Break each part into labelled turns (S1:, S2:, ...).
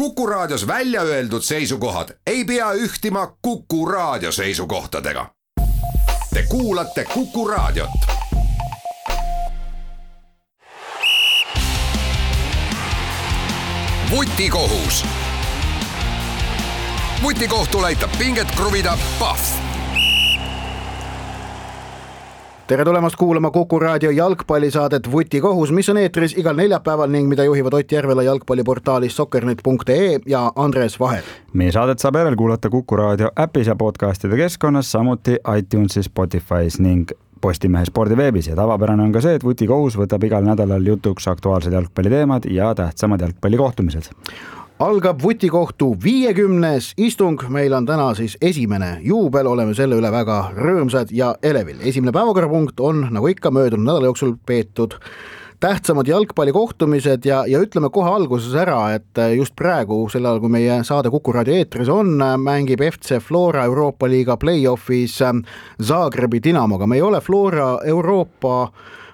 S1: Kuku Raadios välja öeldud seisukohad ei pea ühtima Kuku Raadio seisukohtadega. Te kuulate Kuku Raadiot. Vutikohus. Vutikohtul aitab pinget kruvida Pahv.
S2: Tere tulemast kuulama Kuku Raadio jalgpallisaadet Vutikohus, mis on eetris igal neljapäeval ning mida juhivad Ott Järvela jalgpalliportaalis soccernet.ee ja Andres Vaher.
S3: Meie saadet saab järel kuulata Kuku Raadio äpis ja podcastide keskkonnas, samuti iTunesis, Spotify's ning Postimehe spordiveebis ja tavapärane on ka see, et Vutikohus võtab igal nädalal jutuks aktuaalsed jalgpalliteemad ja tähtsamad jalgpallikohtumised.
S2: Algab Vutikohtu 50. istung, meil on täna siis esimene juubel, oleme selle üle väga rõõmsad ja elevil. Esimene päevakorrapunkt on, nagu ikka, möödunud nädala jooksul peetud tähtsamad jalgpallikohtumised ja ütleme kohe alguses ära, et just praegu, sel ajal kui meie saade Kuku Raadio eetris on, mängib FC Flora Euroopa Liiga play-offis Zagrebi Dinamoga. Me ei ole Flora Euroopa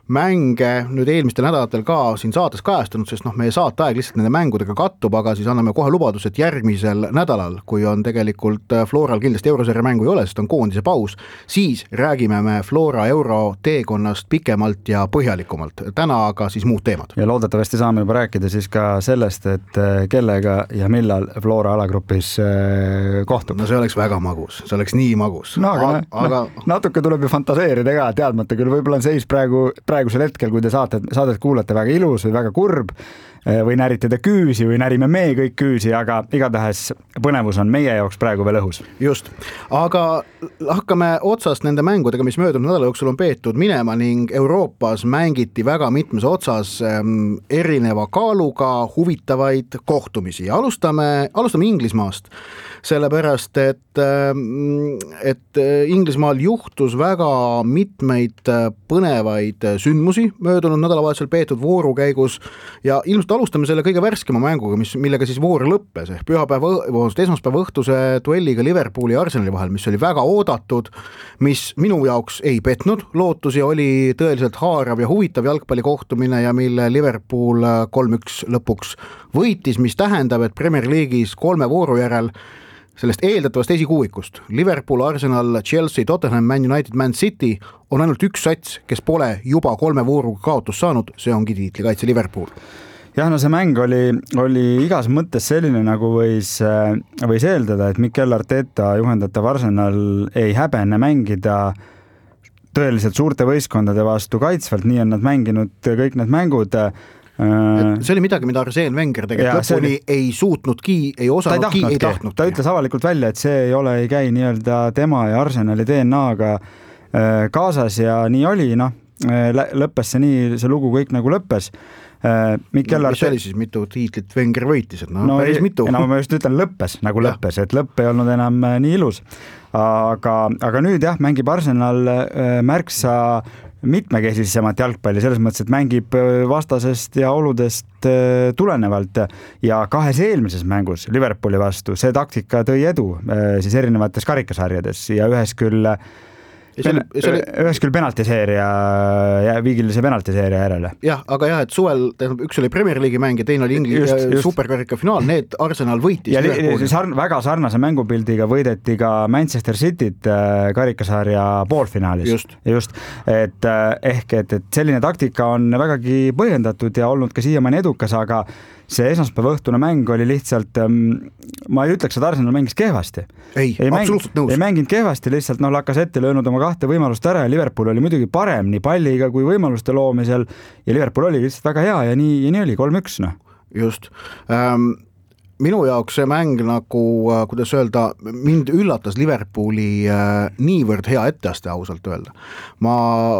S2: mänge nüüd eelmistel nädalatel ka siin saates kajastanud, sest meie saateaeg lihtsalt nende mängudega kattub, aga siis anname kohe lubadus, et järgmisel nädalal, kui on tegelikult Floral kindlasti eurosarja mängu ei ole, sest on koondise paus, siis räägime me Flora euro teekonnast pikemalt ja põhjalikumalt. Täna aga siis muud teemad.
S3: Ja loodetavasti saame juba rääkida siis ka sellest, et kellega ja millal Flora alagrupis kohtub.
S2: No see oleks väga magus, see oleks nii magus.
S3: No, aga natuke tuleb ju fantaseerida ka, teadmata küll, võib-olla on seis praegusel hetkel, kui te saadet kuulate, väga ilus või väga kurb või närite te küüsi või närime me kõik küüsi, aga igatahes põnevus on meie jaoks praegu veel õhus.
S2: Just, aga hakkame otsast nende mängudega, mis möödunud nädala jooksul on peetud minema ning Euroopas mängiti väga mitmes otsas erineva kaaluga huvitavaid kohtumisi. Alustame Inglismaast, sellepärast, et Inglismaal juhtus väga mitmeid põnevaid sündmusi möödunud nädalavahetusel peetud vooru käigus ja ilmselt alustame selle kõige värskema mänguga, millega siis voor lõppes ehk esmaspäeva õhtuse duelliga Liverpooli ja Arsenali vahel, mis oli väga oodatud, mis minu jaoks ei petnud lootusi, oli tõeliselt haarav ja huvitav jalgpallikohtumine ja mille Liverpool 3-1 lõpuks võitis, mis tähendab, et Premier League'is 3 vooru järel sellest eeldatavast esikuuikust Liverpool, Arsenal, Chelsea, Tottenham, Man United, Man City on ainult üks sats, kes pole juba 3 vooruga kaotust saanud, see ongi tiitlikaitse Liverpool.
S3: Jah, no see mäng oli igas mõttes selline, nagu võis eeldada, et Mikel Arteta juhendatav Arsenal ei häbene mängida tõeliselt suurte võistkondade vastu kaitsvalt, nii on nad mänginud kõik need mängud.
S2: See oli midagi, mida Arsene Wenger tegelikult lõpuni ei suutnudki, ei osanudki, ei tahtnud.
S3: Ta ütles avalikult välja, et see ei käi nii-öelda tema ja Arsenali DNA-ga kaasas ja nii oli, lõppes see nii, see lugu kõik nagu lõppes.
S2: Mis oli siis, mitu tiitlit Wenger võitis? Päris mitu.
S3: Ma just ütlen lõppes, nagu lõppes, et lõpp ei olnud enam nii ilus. Aga nüüd jah, mängib Arsenal märksa mitmekesisemat jalgpalli, selles mõttes, et mängib vastasest ja oludest tulenevalt ja 2 eelmises mängus Liverpooli vastu see taktika tõi edu siis erinevates karikasarjades ja ühes küll penaltiseeria ja viigilise penaltiseeria järele.
S2: Jah, aga jah, et suvel üks oli Premier League'i mäng ja teine oli superkarika finaal, need Arsenal võitis.
S3: Ja väga sarnase mängupildiga võideti ka Manchester Cityt karikasarja poolfinaalis. Just. Et selline taktika on vägagi põhjendatud ja olnud ka siiamaani edukas, aga see esmaspäeva õhtune mäng oli lihtsalt, ma ei ütleks, et Arsenal mängis kehvasti.
S2: Absoluutselt nõus.
S3: Ei mänginud kehvasti, lihtsalt Lacazette löönud oma 2 võimalust ära ja Liverpool oli muidugi parem nii palliga kui võimaluste loomisel ja Liverpool oli lihtsalt väga hea ja nii oli 3-1.
S2: Just. Minu jaoks see mäng nagu, kuidas öelda, mind üllatas Liverpooli niivõrd hea etteaste ausalt öelda. Ma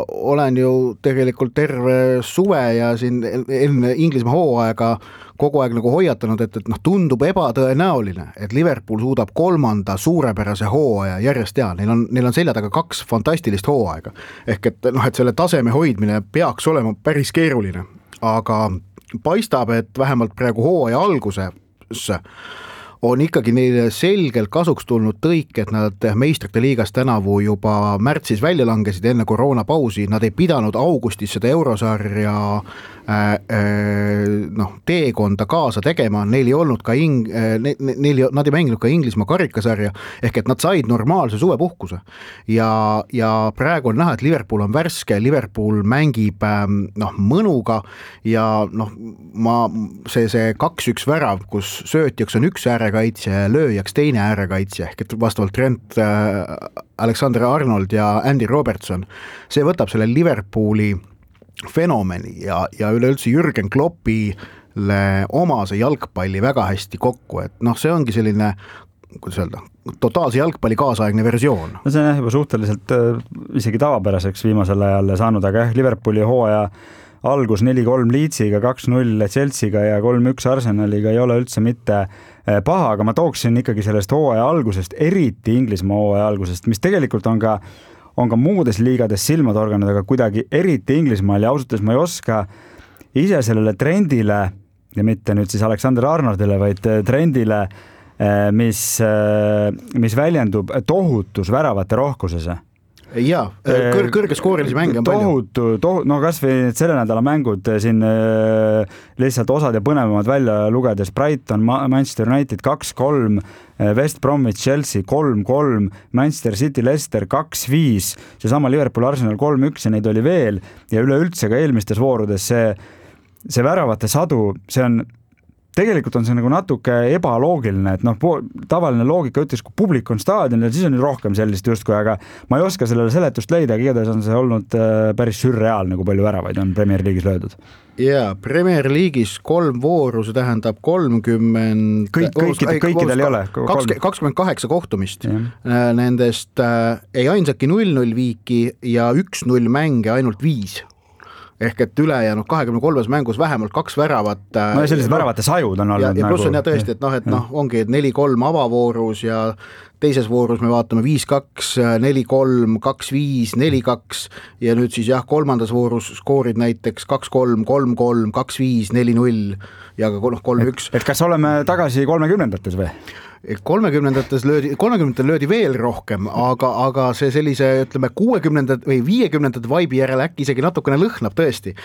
S2: olen ju tegelikult terve suve ja siin enne Inglismaa hooaega kogu aeg nagu hoiatanud, et tundub ebatõenäoline, et Liverpool suudab 3. suurepärase hooaja järjest teha. Neil on selja taga 2 fantastilist hooaega. Ehk et selle taseme hoidmine peaks olema päris keeruline. Aga paistab, et vähemalt praegu hooaja alguse on ikkagi neile selgelt kasuks tulnud tõik, et nad meistrite liigas tänavu juba märtsis välja langesid enne koroonapausi, nad ei pidanud augustis seda eurosarja teekonda kaasa tegema, neil ei olnud ka nad ei mänginud ka Inglismaa karikasarja, ehk et nad said normaalse suvepuhkuse ja praegu on näha, et Liverpool on värske, Liverpool mängib mõnuga ja see 2-1 värav, kus söötjaks on üks äärekaitsja ja lööjaks teine äärekaitsja, ehk et vastavalt Trent Alexander-Arnold ja Andy Robertson, see võtab selle Liverpooli fenomeni ja üleüldse Jürgen Kloppile omase jalgpalli väga hästi kokku, et see ongi selline, kuidas öelda, totaalse jalgpalli kaasaegne versioon.
S3: No see on juba suhteliselt isegi tavapäraseks viimasel ajal saanud, aga Liverpooli hooaja algus 4-3 Leedsiga, 2-0 Chelsea'ga ja 3-1 Arsenaliga ei ole üldse mitte paha, aga ma tooksin ikkagi sellest hooaja algusest, eriti Inglismaa hooaja algusest, mis tegelikult on ka muudes liigades silma torganud, aga kuidagi eriti Inglismaal ja ausalt ma ei oska ise sellele trendile ja mitte nüüd siis Alexander Arnoldile, vaid trendile, mis väljendub tohutus väravate rohkuses.
S2: Jaa, kõrgeskoorelisi mänge on palju.
S3: No kas või selle nädala mängud siin lihtsalt osad ja põnevamad välja lugedes, Brighton, Manchester United 2-3, West Bromwich Chelsea 3-3, Manchester City Leicester 2-5, seesama Liverpool Arsenal 3-1 ja neid oli veel ja üleüldse ka eelmistes voorudes see väravate sadu, tegelikult on see nagu natuke ebaloogiline, et tavaline loogika ütles, kui publik on staadionil, siis on nüüd rohkem sellist justkui, aga ma ei oska sellele seletust leida, igatahes on see olnud päris sürreaalne, kui palju väravaid on Premier League'is löödud.
S2: Jaa, Premier League'is 3 vooru, see tähendab 30...
S3: Kõikidel ei ole.
S2: 28 kohtumist. Nendest ei ainsaki 0-0 viiki ja 1-0 mänge ainult 5. Ehk et ülejäänud 23 mängus vähemalt 2 väravat.
S3: No ja sellised väravate sajud on olnud.
S2: Ja pluss on tõesti, et ongi 4-3 avavoorus ja teises voorus me vaatame 5-2, 4-3, 2-5, 4-2 ja nüüd siis kolmandas voorus skoorid näiteks 2-3, 3-3, 2-5, 4-0 ja ka 3-1.
S3: Et kas oleme tagasi 30-ndates või?
S2: 30-ndates löödi veel rohkem, aga see sellise, ütleme, 60-ndad või 50-ndad vaibi järele äkki isegi natukene lõhnab tõesti.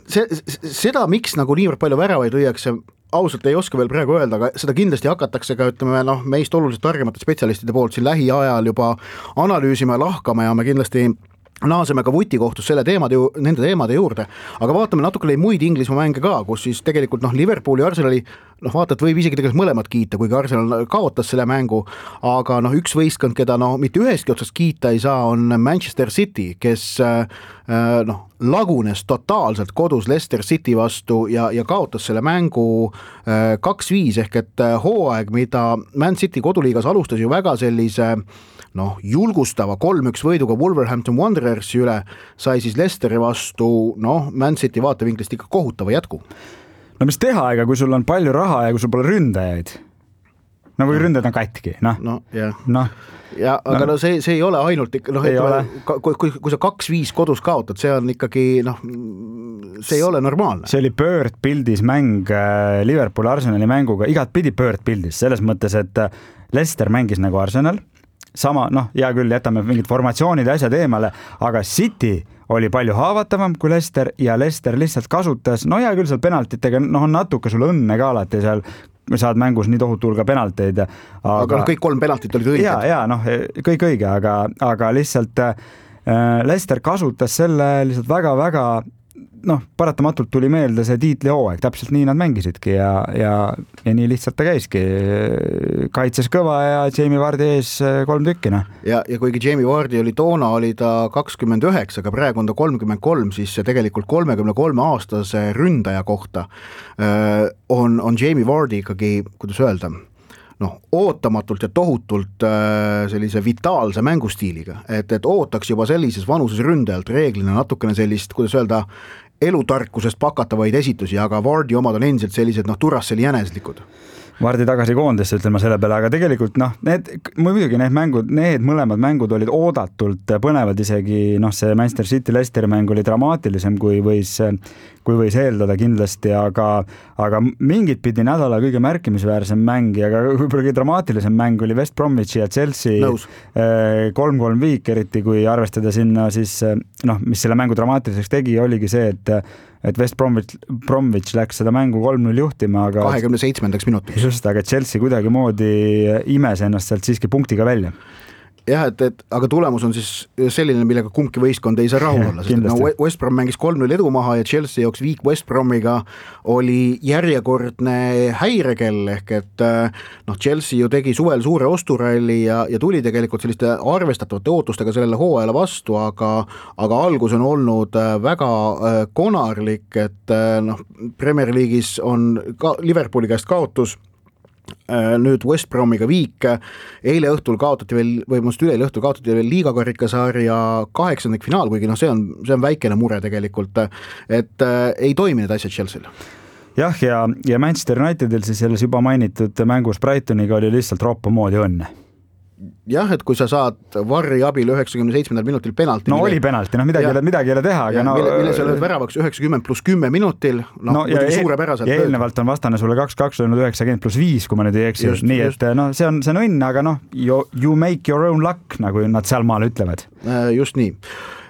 S2: Seda, miks nagu niivõrd palju väravaid lüüakse, ausalt ei oska veel praegu öelda, aga seda kindlasti hakatakse ka, ütleme, meist oluliselt targemate spetsialistide poolt siin lähiajal juba analüüsima ja lahkama ja me kindlasti naaseme ka vutikohtus nende teemade juurde, aga vaatame natukene muid Inglismaa mänge ka, kus siis tegelikult Liverpooli ja Arsenali vaatad võib isegi tegelikult mõlemad kiita, kuigi Arsenal kaotas selle mängu, aga üks võistkond, keda mitte ühestki otsast kiita ei saa, on Manchester City, kes lagunes totaalselt kodus Leicester City vastu ja kaotas selle mängu 2-5 ehk et hooaeg, mida Man City koduliigas alustas ju väga sellise julgustava 3-1 võiduga Wolverhampton Wanderersi üle, sai siis Leicesteri vastu Man City vaatevinklist ikka kohutava jätku.
S3: No mis teha, ega kui sul on palju raha ja kui sul pole ründajaid, või ründajad on katki,
S2: aga see ei ole ainult kui sa 2-5 kodus kaotad, see on ikkagi see ei ole normaalne.
S3: See oli pöördpildis mäng Liverpool Arsenali mänguga, igat pidi pöördpildis, selles mõttes, et Leicester mängis nagu Arsenal, sama, hea küll, jätame mingid formatsioonid ja asjad eemale, aga City oli palju haavatavam kui Leicester ja Leicester lihtsalt kasutas, hea küll seal penaltitega, on natuke sul õnne ka alati seal, saad mängus nii tohutu hulga penalteid.
S2: Aga kõik 3 penaltit olid õiged.
S3: Kõik õige, aga lihtsalt Leicester kasutas selle lihtsalt väga-väga, paratamatult tuli meelde see tiitlihooaeg, täpselt nii nad mängisidki ja nii lihtsalt ta käiski. Kaitses kõva ja Jamie Vardi ees 3 tükkina.
S2: Ja kuigi Jamie Vardi oli toona, oli ta 29, aga praegu on ta 33, siis see tegelikult 33-aastase ründaja kohta on Jamie Vardi ikkagi, kuidas öelda, ootamatult ja tohutult sellise vitaalse mängustiiliga, et ootaks juba sellises vanuses ründajalt reeglina natukene sellist, kuidas öelda, elutarkusest pakatavaid esitusi, aga Vardi omad on endiselt sellised Duracelli jäneslikud.
S3: Vardi tagasi koondisse, ütleme selle peale, aga tegelikult muidugi need mõlemad mängud olid oodatult põnevad, isegi see Manchester City Leicesteri mäng oli dramaatilisem, kui võis eeldada kindlasti, aga mingit pidi nädala kõige märkimisväärsem mäng ja ka võib-olla kõige dramaatilisem mäng oli West Bromwichi ja Chelsea 3-3 viik, eriti kui arvestada sinna siis, mis selle mängu dramaatiliseks tegi, oligi see, et West Bromwich läks seda mängu 3-0 juhtima, aga
S2: 27. minutiks.
S3: Just, aga Chelsea kuidagimoodi imes ennast sealt siiski punktiga välja.
S2: Jah, aga tulemus on siis selline, millega kumbki võistkond ei saa rahul olla, sest West Brom mängis 3-0 edu maha ja Chelsea jooks viik West Bromiga oli järjekordne häirekell, ehk et Chelsea ju tegi suvel suure osturalli ja tuli tegelikult selliste arvestatavate ootustega sellele hooajale vastu, aga algus on olnud väga konarlik, et Premier League'is on Liverpooli käest kaotus, nüüd West Bromiga viik, eile õhtul kaotati veel, või mõnest üleeile õhtul kaotati veel liigakarikasarja 8. finaal, kuigi see on väikene mure tegelikult, et ei toimi need asjad Chelsea'l.
S3: Jah, ja Manchester Unitedil siis selles juba mainitud mängus Brightoniga oli lihtsalt roppa moodi õnne.
S2: Jah, et kui sa saad Varri abil 97. minutil penalti.
S3: Oli penalti, midagi ei ole teha. Aga
S2: mille sa lööd väravaks 90+10 minutil, suurepäraselt.
S3: Ja eelnevalt on vastane sulle 2-2 löönud 90+5, kui ma nüüd ei eksi. Nii, et see on õnn, aga you make your own luck, nagu nad seal maal ütlevad.
S2: Just nii.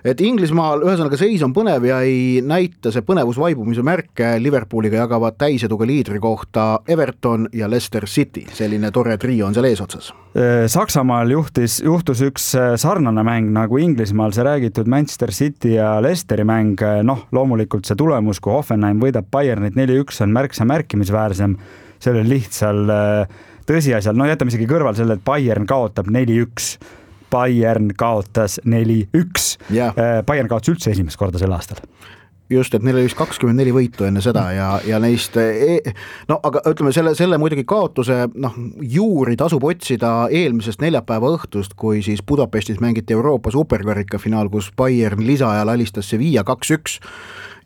S2: Et Inglismaal ühesõnaga seis on põnev ja ei näita see põnevusvaibumise märke, Liverpooliga jagavad täiseduga liidri kohta Everton ja Leicester City, selline tore trio on seal eesotsas.
S3: Saksamaal juhtus üks sarnane mäng nagu Inglismaal, see räägitud Manchester City ja Leicesteri mäng, loomulikult see tulemus, kui Hoffenheim võidab Bayernit 4-1 on märksa märkimisväärsem, selle lihtsal tõsiasjal, jätame isegi kõrval selle, et Bayern kaotab 4-1, Bayern kaotas 4-1. Bayern kaotas üldse esimest korda sel aastal.
S2: Just, et neil oli 24 võitu enne seda ja neist, aga ütleme selle muidugi kaotuse juuri tasub otsida eelmisest neljapäeva õhtust, kui siis Budapestis mängiti Euroopa superkarika finaal, kus Bayern lisaajal alistas Sevilla 2-1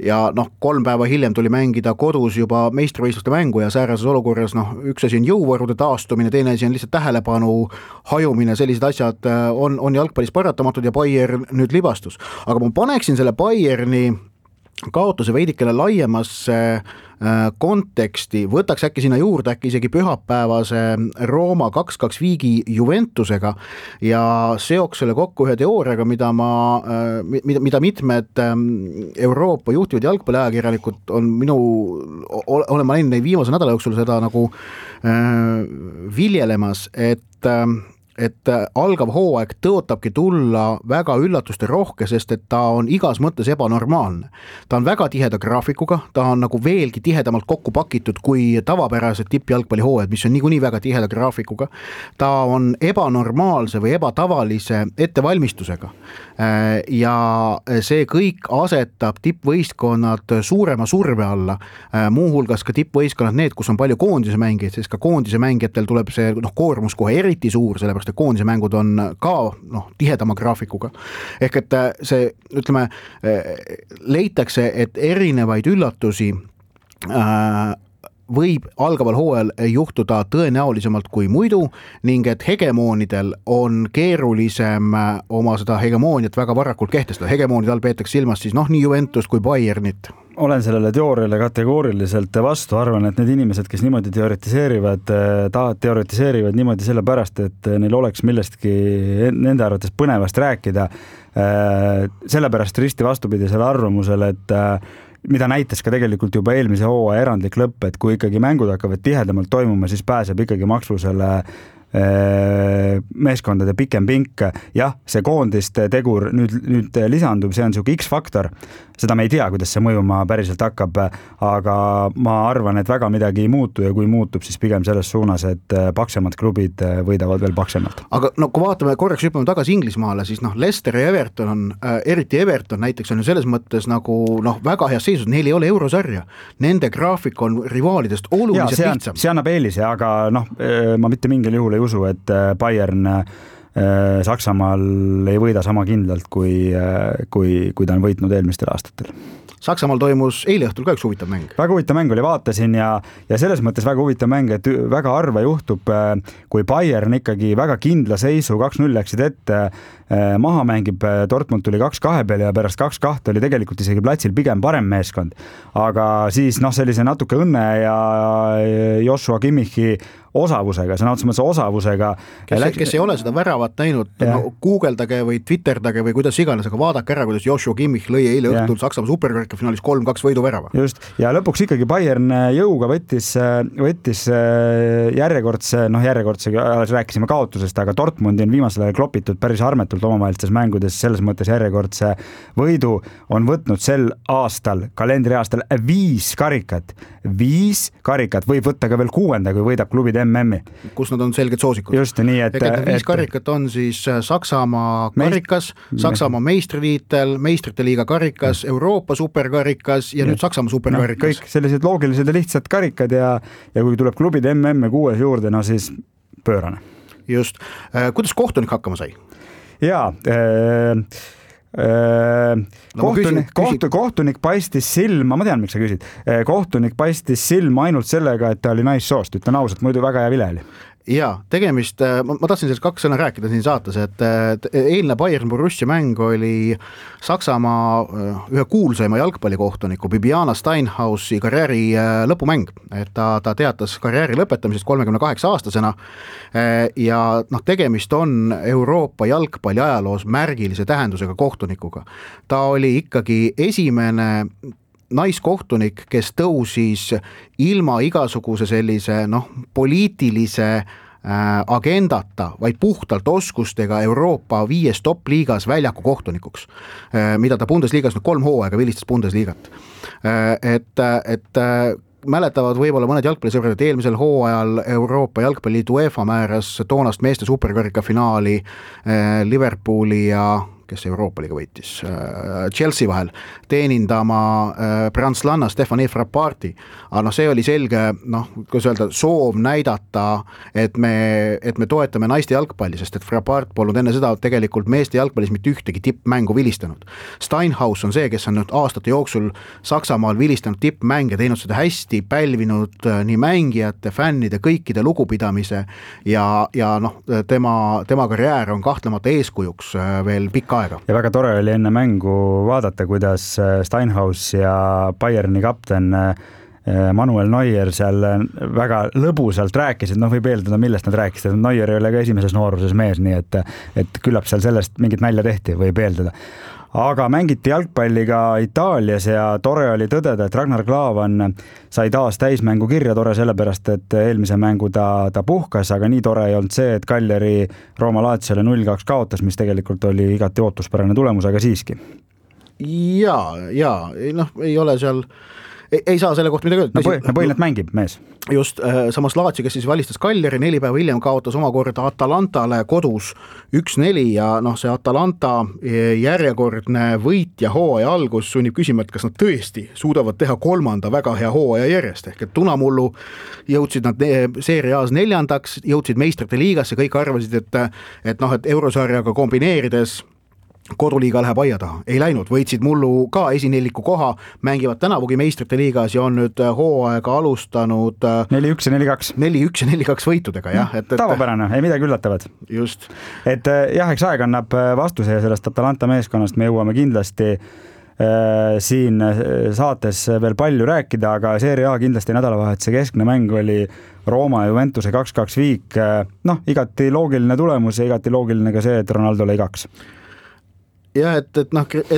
S2: ja 3 päeva hiljem tuli mängida kodus juba meistrivõistluste mängu ja säärases olukorras üks asi on jõuvarude taastumine, teine asi on lihtsalt tähelepanu hajumine, sellised asjad on jalgpallis paratamatud ja Bayern nüüd libastus. Aga ma paneksin selle Bayerni kaotuse veidikene laiemasse konteksti, võtaks äkki sinna juurde isegi pühapäevase Rooma 2-2 viigi Juventusega ja seoks selle kokku ühe teooriaga, mida mitmed Euroopa juhtivad jalgpalliajakirjanikud on olen ma näinud viimase nädala jooksul seda nagu viljelemas, et algav hooaeg tõotabki tulla väga üllatuste rohke, sest et ta on igas mõttes ebanormaalne. Ta on väga tiheda graafikuga, ta on nagu veelgi tihedamalt kokku pakitud kui tavapärased tippjalgpalli hooajad, mis on niikuinii väga tiheda graafikuga. Ta on ebanormaalse või ebatavalise ettevalmistusega ja see kõik asetab tippvõistkonnad suurema surve alla, muuhulgas ka tippvõistkonnad need, kus on palju koondise mängijaid, sest ka koondise mängijatel tuleb see koormus kohe eriti suur, sellepärast koondise mängud on ka tihedama graafikuga. Ehk et see, ütleme, leitakse, et erinevaid üllatusi võib algaval hooajal juhtuda tõenäolisemalt kui muidu ning et hegemoonidel on keerulisem oma seda hegemooniat väga varakult kehtestada. Hegemoonid all peetakse silmas siis nii Juventus kui Bayernit.
S3: Olen sellele teooriale kategooriliselt vastu, arvan, et need inimesed, kes niimoodi teoretiseerivad niimoodi sellepärast, et neil oleks millestki nende arvates põnevast rääkida, sellepärast risti vastupidisele arvamusele, et mida näitas ka tegelikult juba eelmise hooaja erandlik lõpp, et kui ikkagi mängud hakkavad tihedamalt toimuma, siis pääseb ikkagi maksusele meeskondade pikem pink. Jah, see koondiste tegur nüüd lisandub, see on siuke X-faktor. Seda me ei tea, kuidas see mõjuma päriselt hakkab, aga ma arvan, et väga midagi ei muutu ja kui muutub, siis pigem selles suunas, et paksemad klubid võidavad veel paksemalt.
S2: Aga kui vaatame korraks hüppame tagasi Inglismaale, siis Leicester ja Everton on, eriti Everton näiteks on selles mõttes nagu väga heas seisus, neil ei ole eurosarja. Nende graafik on rivaalidest oluliselt lihtsam.
S3: See annab eelise, aga ma mitte mingil juhul ei usu, et Bayern Saksamaal ei võida sama kindlalt, kui ta on võitnud eelmistel aastatel.
S2: Saksamaal toimus eile õhtul ka üks huvitav mäng.
S3: Väga huvitav mäng oli, vaatasin ja selles mõttes väga huvitav mäng, et väga harva juhtub, kui Bayern ikkagi väga kindla seisu 2-0 läksid ette, maha mängib, Dortmund tuli 2-2 peale ja pärast 2-2 oli tegelikult isegi platsil pigem parem meeskond. Aga siis sellise natuke õnne ja Joshua Kimmichi osavusega, sõna otseses osavusega.
S2: Kes ei ole seda väravat näinud, googleldage või twitterdage või kuidas iganes, aga vaadake ära, kuidas Joshua Kimmich lõi eile õhtul Saksamaa superkarika finaalis 3-2 võiduvärava.
S3: Just, ja lõpuks ikkagi Bayern jõuga võttis järjekordse, rääkisime kaotusest, aga Dortmundi on viimasel ajal klopitud päris armetult omavahelistes mängudes, selles mõttes järjekordse võidu on võtnud sel aastal, kalendriaastal 5 karikat, võib võtta ka veel 6, kui võidab klubid MM-i.
S2: Kus nad on selged soosikud.
S3: Just nii, et
S2: 5 karikat on siis Saksamaa karikas, Saksamaa meistritiitel, meistrite liiga karikas, Euroopa superkarikas ja nüüd Saksamaa superkarikas.
S3: Kõik sellised loogilised ja lihtsad karikad ja kui tuleb klubid MM-i 6 juurde, siis pöörane.
S2: Just. Kuidas kohtunik hakkama sai?
S3: Jaa, kohtunik paistis silma, ma tean, miks sa küsid, kohtunik paistis silma ainult sellega, et ta oli naissoost, ütlen ausalt, muidu väga hea vile oli.
S2: Jaa, tegemist, ma tahtsin sellest 2 sõna rääkida siin saates, et eilne Bayern Borussia mäng oli Saksamaa ühe kuulsaima jalgpallikohtuniku Bibiana Steinhausi karjääri lõpumäng, et ta teatas karjääri lõpetamisest 38-aastasena ja tegemist on Euroopa jalgpalli ajaloos märgilise tähendusega kohtunikuga. Ta oli ikkagi esimene naiskohtunik, kes tõusis ilma igasuguse sellise poliitilise agendata, vaid puhtalt oskustega Euroopa 5 top-liigas väljaku kohtunikuks, mida ta Bundesliigas 3 hooaega vilistas Bundesliigat. Et mäletavad võib-olla mõned jalgpallisõbrad, et eelmisel hooajal Euroopa jalgpalliliidu UEFA määras toonast meeste superkarika finaali Liverpooli ja kes Euroopa liiga võitis, Chelsea vahel, teenindama prantslanna Stefanie Frapparti. Aga see oli selge, kuidas öelda, soov näidata, et me toetame naiste jalgpalli, sest et Frappart polnud enne seda tegelikult meeste jalgpallis mitte ühtegi tippmängu vilistanud. Steinhaus on see, kes on nüüd aastate jooksul Saksamaal vilistanud tippmänge, teinud seda hästi, pälvinud nii mängijate, fännide, kõikide lugupidamise ja tema karjäär on kahtlemata eeskujuks veel pikka aega.
S3: Ja väga tore oli enne mängu vaadata, kuidas Steinhaus ja Bayerni kapten Manuel Neuer seal väga lõbusalt rääkisid, võib eeldada, millest nad rääkisid, Neuer ei ole ka esimeses nooruses mees, nii et küllap seal sellest mingit nalja tehti, võib eeldada. Aga mängiti jalgpalli ka Itaalias ja tore oli tõdeda, et Ragnar Klavan sai taas täismängu kirja, tore sellepärast, et eelmise mängu ta puhkas, aga nii tore ei olnud see, et Cagliari Rooma Laziole 0-2 kaotas, mis tegelikult oli igati ootuspärane tulemus, aga siiski.
S2: Jaa, ei ole seal, ei saa selle kohta midagi öelda.
S3: Põhiline mängib mees.
S2: Just, samas Lazio, kes siis valistas Cagliari, 4 päeva hiljem kaotas omakorda Atalantale kodus 1-4 ja see Atalanta järjekordne võit ja hooaja algus sunnib küsima, et kas nad tõesti suudavad teha 3. väga hea hooaja järjest, ehk et Tunamullu jõudsid nad Serie A-s 4., jõudsid meistrite liigasse, kõik arvasid, et eurosarjaga kombineerides koduliiga läheb aia taha. Ei läinud, võitsid mullu ka esineliku koha, mängivad tänavugi meistrite liigas ja on nüüd hooaega alustanud
S3: 4-1 ja 4-2.
S2: 4-1 ja 4-2 võitudega, jah.
S3: Tavapärane, ei midagi üllatavat.
S2: Just.
S3: Et jah, eks aeg annab vastuse ja sellest Atalanta meeskonnast me jõuame kindlasti siin saates veel palju rääkida, aga Serie A kindlasti nädalavahetuse keskne mäng oli Rooma ja Juventuse 2-2 viik. Igati loogiline tulemus ja igati loogiline ka see, et Ronaldo lõi 2.
S2: Ja et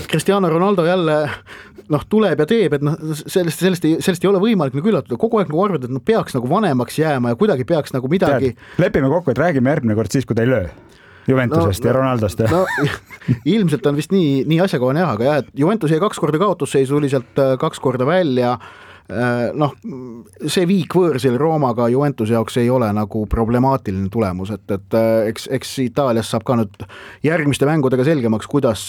S2: Cristiano Ronaldo jälle tuleb ja teeb, et sellest ei ole võimalik üllatada, kogu aeg arvad, et peaks vanemaks jääma ja kuidagi peaks midagi.
S3: Lepime kokku, et räägime järgmine kord siis, kui ta ei löö Juventusest ja Ronaldost.
S2: Ilmselt on vist nii asjakohane jah, aga jah, et Juventus jäi 2 korda kaotusseisu, tuli sealt 2 korda välja. See viik võõrsil Roomaga Juventuse jaoks ei ole problemaatiline tulemus, et eks Itaalias saab ka nüüd järgmiste mängudega selgemaks, kuidas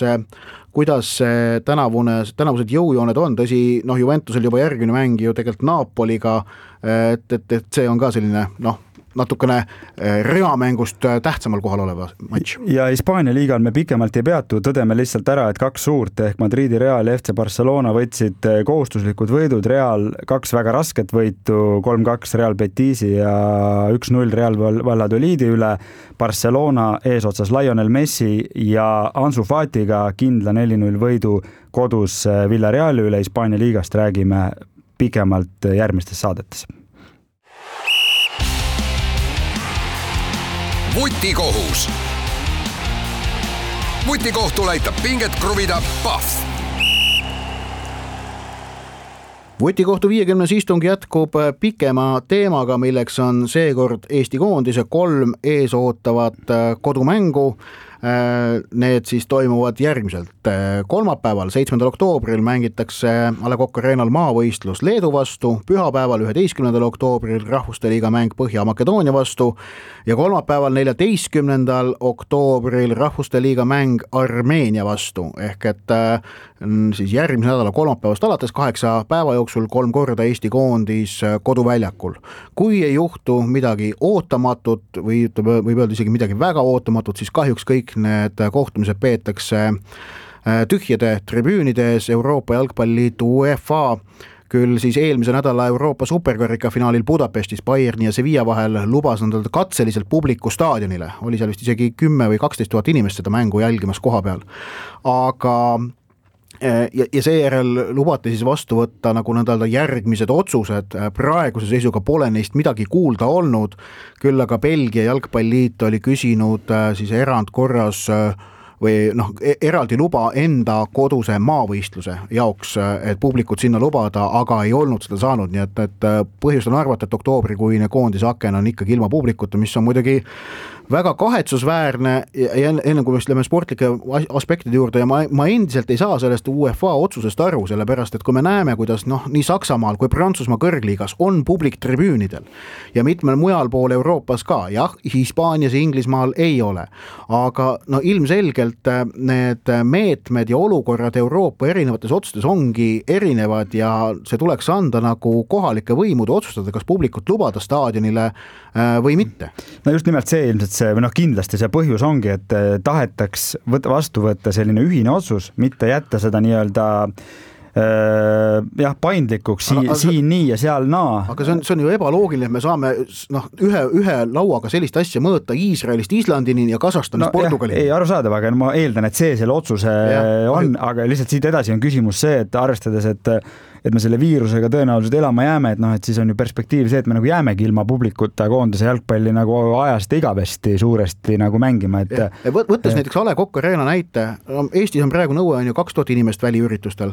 S2: tänavused jõujooned on, tõsi, Juventusel juba järgmine mäng ju tegelikult Napoliga, et see on ka selline natukene reamängust tähtsamal kohal oleva matš.
S3: Ja Hispaania liigal me pikemalt ei peatu, tõdeme lihtsalt ära, et 2 suurt ehk Madridi Real ja FC Barcelona võtsid kohustuslikud võidud, Real 2 väga rasket võitu, 3-2 Real Betisi ja 1-0 Real Valladolidi üle, Barcelona eesotsas Lionel Messi ja Ansu Fatiga kindla 4-0 võidu kodus Villarreali üle. Hispaania liigast räägime pikemalt järgmistes saadetes.
S1: Vutikohus. Vutikohtul aitab pinget kruvida Pahv.
S2: Vutikohtu 50. istung jätkub pikema teemaga, milleks on seekord Eesti koondise 3 eesootavat kodumängu. Need siis toimuvad järgmiselt. Kolmapäeval, 7. oktoobril mängitakse A. Le Coq Arenal maavõistlus Leedu vastu, pühapäeval 11. oktoobril Rahvuste liiga mäng Põhja-Makedoonia vastu ja kolmapäeval 14. oktoobril Rahvuste liiga mäng Armeenia vastu. Ehk et siis järgmise nädala kolmapäevast alates 8 päeva jooksul 3 korda Eesti koondis koduväljakul. Kui ei juhtu midagi ootamatut või võib öelda isegi midagi väga ootamatut, siis kahjuks kõik need kohtumised peetakse tühjade tribüünides. Euroopa Jalgpalliliidu UEFA küll siis eelmise nädala Euroopa superkarika finaalil Budapestis Bayerni ja Sevilla vahel lubas nad katseliselt publiku staadionile. Oli seal vist isegi 10 või 12 000 inimest seda mängu jälgimas koha peal. Aga ja seejärel lubati siis vastu võtta nagu nõnda järgmised otsused. Praeguse seisuga pole neist midagi kuulda olnud, küll aga Belgia jalgpalliliit oli küsinud siis erandkorras või eraldi luba enda koduse maavõistluse jaoks, et publikut sinna lubada, aga ei olnud seda saanud, nii et põhjust on arvata, et oktoobrikuine koondise aken on ikkagi ilma publikuta, mis on muidugi väga kahetsusväärne ja enne kui me lähme sportlike aspektide juurde ja ma endiselt ei saa sellest UEFA otsusest aru, sellepärast et kui me näeme, kuidas nii Saksamaal kui Prantsusmaa kõrgliigas on publik tribüünidel ja mitmel mujal pool Euroopas ka, jah, Hispaanias ja Inglismaal ei ole, aga ilmselgelt need meetmed ja olukorrad Euroopa erinevates otsustes ongi erinevad ja see tuleks anda nagu kohalike võimude otsustada, kas publikut lubada staadionile või mitte.
S3: No just nimelt see ilmselt see, kindlasti see põhjus ongi, et tahetaks vastu võtta selline ühine otsus, mitte jätta seda nii-öelda paindlikuks siin nii ja seal naa. Aga
S2: see on ju ebaloogiline, et me saame ühe lauaga sellist asja mõõta Iisraelist Islandini ja Kasahstanist Portugalini.
S3: Ei arusaadav, aga ma eeldan, et see selle otsuse on, aga lihtsalt siit edasi on küsimus see, et arvestades, et me selle viirusega tõenäoliselt elama jääme, et siis on ju perspektiiv see, et me nagu jäämegi ilma publikuta koondise jalgpalli nagu ajast igavesti suuresti nagu mängima.
S2: Võttes näiteks A. Le Coq Arena näite, Eestis on praegu nõue on ju 2000 inimest väliüritustel.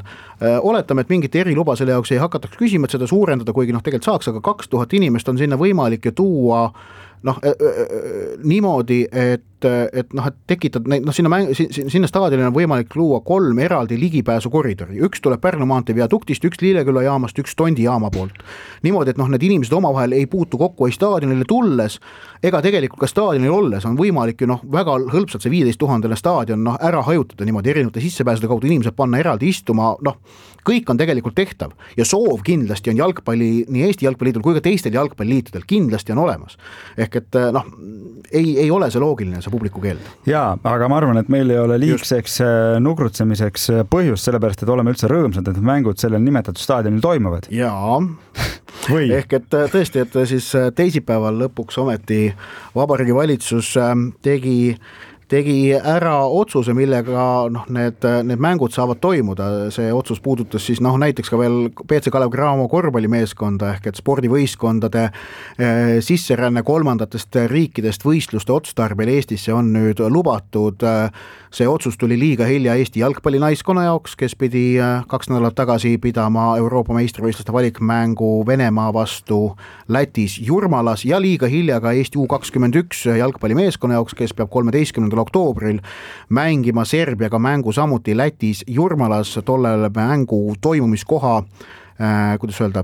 S2: Oletame, et mingit eriluba selle jaoks ei hakataks küsima, et seda suurendada, kuigi tegelikult saaks, aga 2000 inimest on sinna võimalik ju tuua niimoodi, et tekitad sinna staadionile on võimalik luua 3 eraldi ligipääsukoridori. Üks tuleb Pärnu maantee viaduktist, üks Lilleküla jaamast, üks Tondi jaama poolt. Niimoodi, et need inimesed omavahel ei puutu kokku ei staadionile tulles ega tegelikult ka staadionil olles on võimalik ju väga hõlpsalt see 15 000 staadion ära hajutada niimoodi erinevate sissepääsude kaudu inimesed panna eraldi istuma, kõik on tegelikult tehtav ja soov kindlasti on jalgpalli, nii Eesti jalgpalliliidul kui ka teistel jalgpalliliitudel kindlasti on olemas. Ehk et ei ole see loogiline, see publiku keeld.
S3: Jaa, aga ma arvan, et meil ei ole liigseks nugrutsemiseks põhjust, sellepärast, et oleme üldse rõõmsad, et mängud sellel nimetatud staadionil toimuvad.
S2: Jaa, ehk et tõesti, et siis teisipäeval lõpuks ometi Vabariigi Valitsus tegi ära otsuse, millega need mängud saavad toimuda. See otsus puudutas siis näiteks ka veel PC Kalev Cramo korvpallimeeskonda ehk et spordivõistkondade sisseränne kolmandatest riikidest võistluste otstarbel Eestisse on nüüd lubatud. See otsus tuli liiga hilja Eesti jalgpallinaiskonna jaoks, kes pidi 2 nädalat tagasi pidama Euroopa meistrivõistluste valikmängu Venemaa vastu Lätis Jurmalas ja liiga hilja ka Eesti U21 jalgpallimeeskonna jaoks, kes peab 13. oktoobril mängima Serbiaga mängu samuti Lätis Jurmalas. Tollele mängu toimumiskoha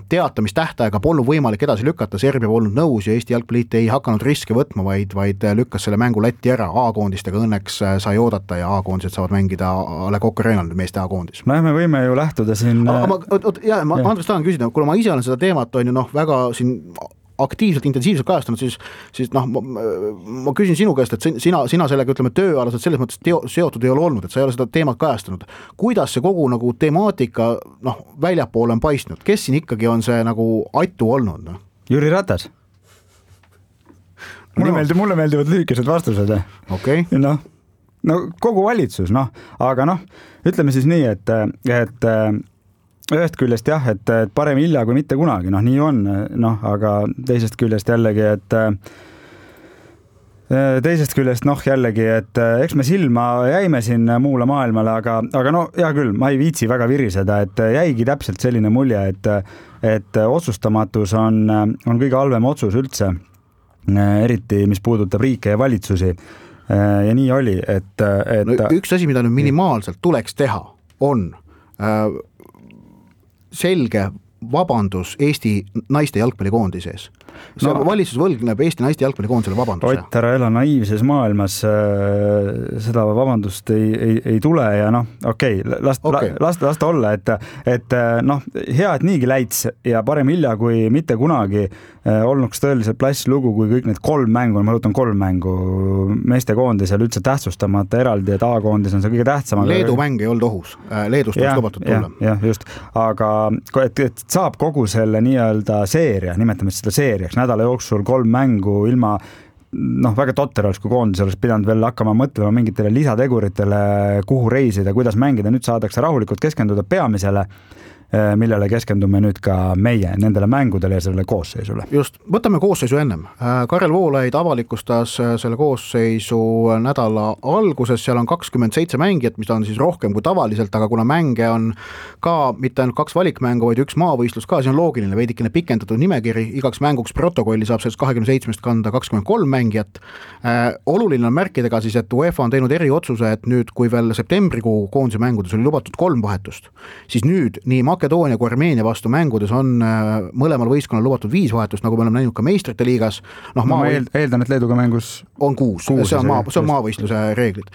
S2: teatamistähtaega polnud võimalik edasi lükata, Serbia polnud nõus ja Eesti jalgpalliliit ei hakanud riske võtma, vaid lükkas selle mängu Lätti ära. A-koondistega õnneks sai oodata ja A-koondised saavad mängida A. Le Coq Arenal, meeste A-koondis.
S3: Me võime ju lähtuda siin...
S2: Ma Andres tahan küsida, kuna ma ise olen seda teemat on ju väga siin aktiivselt, intensiivselt kajastanud, siis noh, ma küsin sinu käest, et sina sellega, ütleme, tööalaselt selles mõttes seotud ei ole olnud, et sa ei ole seda teemat kajastanud. Kuidas see kogu nagu temaatika noh, väljapoole on paistnud? Kes siin ikkagi on see nagu atu olnud? No?
S3: Jüri Ratas. Mulle meeldivad lühikesed vastused.
S2: Okay.
S3: No kogu valitsus, aga ütleme siis nii, et ühest küljest jah, et parem hilja kui mitte kunagi, nii on, aga teisest küljest jällegi, et eks me silma jäime siin muule maailmale, aga hea küll, ma ei viitsi väga viriseda, et jäigi täpselt selline mulje, et otsustamatus on kõige halvem otsus üldse, eriti mis puudutab riike ja valitsusi. Ja nii oli, et
S2: üks asi, mida nüüd minimaalselt tuleks teha, on selge vabandus Eesti naiste jalgpallikoondise ees. Valitsus võlgneb Eesti naiste jalgpallikoondisele vabanduse.
S3: Ott, ära ela naiivses maailmas, seda vabandust ei tule ja okei, las ta olla, et hea, et niigi läits ja parem hilja kui mitte kunagi olnuks tõeliselt plass lugu, kui kõik need 3 mängu, ma rõhutan 3 mängu meestekoondisel üldse tähtsustamata eraldi, et A-koondis on see kõige tähtsam.
S2: Leedu mäng ei olnud ohus, Leedust oleks lubatud tulla.
S3: Jah, just, aga et saab kogu selle nii-öelda seeria, nimetame seda seeriaks, nädala jooksul 3 mängu ilma väga totter oleks, kui koondis oleks pidanud veel hakkama mõtlema mingitele lisateguritele, kuhu reisida, kuidas mängida, nüüd saadakse rahulikult keskenduda peamisele, millele keskendume nüüd ka meie nendele mängudele ja sellele koosseisule.
S2: Just, võtame koosseisu ennem. Karel Voolaid avalikustas selle koosseisu nädala alguses, seal on 27 mängijat, mis on siis rohkem kui tavaliselt, aga kuna mänge on ka mitte ainult 2 valikmängu, vaid 1 maavõistlus ka, see on loogiline, veidikene pikendatud nimekiri, igaks mänguks protokolli saab sellest 27 kanda 23 mängijat. Oluline on märkida ka siis, et UEFA on teinud eriotsuse, et nüüd, kui veel septembrikuu koondise mängudes oli lubatud 3 vahetust, siis nüüd nii Makedoonia kui Armeenia vastu mängudes on mõlemal võistkonnal lubatud 5 vahetust, nagu me oleme näinud ka meistrite liigas.
S3: Ma eeldan, et Leeduga mängus
S2: on 6, see on maavõistluse reeglid.